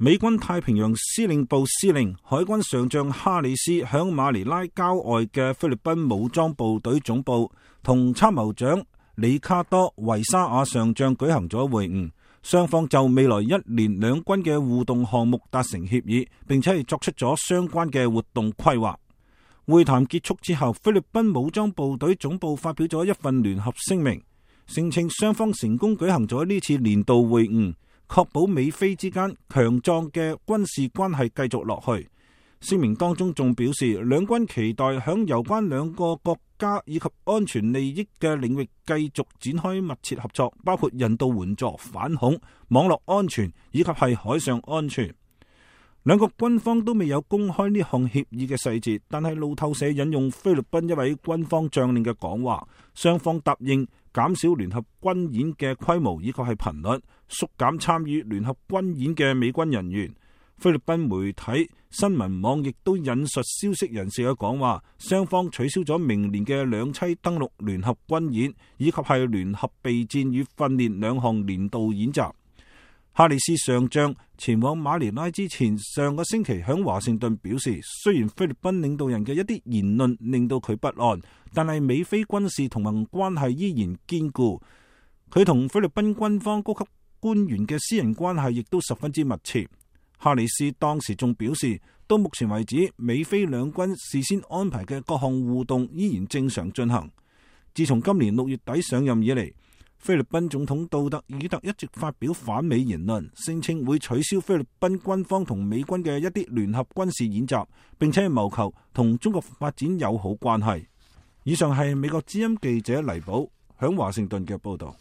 美軍太平洋司令部司令海軍上將哈里斯響馬尼拉郊外嘅菲律賓武裝部隊總部同參謀長里卡多維沙亞上將舉行咗會晤，雙方就未來1年兩軍嘅互動項目達成協議，並且係作出咗相關嘅活動規劃。會談結束之後，菲律賓武裝部隊總部發表咗一份聯合聲明，聲稱雙方成功舉行咗呢次年度會晤，確保美菲之間強壯嘅軍事關係繼續落去。聲明當中仲表示，兩軍期待響有關兩個國家以及安全利益嘅領域繼續展開密切合作，包括人道援助、反恐、網絡安全以及係海上安全。兩國軍方都未有公開呢項協議嘅細節，但係路透社引用菲律賓一位軍方將領嘅講話，雙方答應減少聯合軍演嘅規模以及係頻率，縮減參與聯合軍演嘅美軍人員。菲律賓媒體新聞網亦都引述消息人士嘅講話，雙方取消咗明年嘅兩棲登陸聯合軍演以及係聯合備戰與訓練兩項年度演習。哈里斯上將前往馬尼拉之前，上個星期響華盛頓表示，雖然菲律賓領導人嘅一啲言論令到佢不安，但係美菲軍事同盟關係依然堅固。佢同菲律賓軍方高級官員嘅私人關係亦都十分之密切。哈里斯當時仲表示，到目前為止，美菲兩軍事先安排嘅各項互動依然正常進行。自從今年6月底上任以嚟，菲律賓總統杜特爾特一直發表反美言論，聲稱會取消菲律賓軍方同美軍嘅一啲聯合軍事演習，並且謀求同中國發展友好關係。以上係美國之音記者黎寶響華盛頓嘅報道。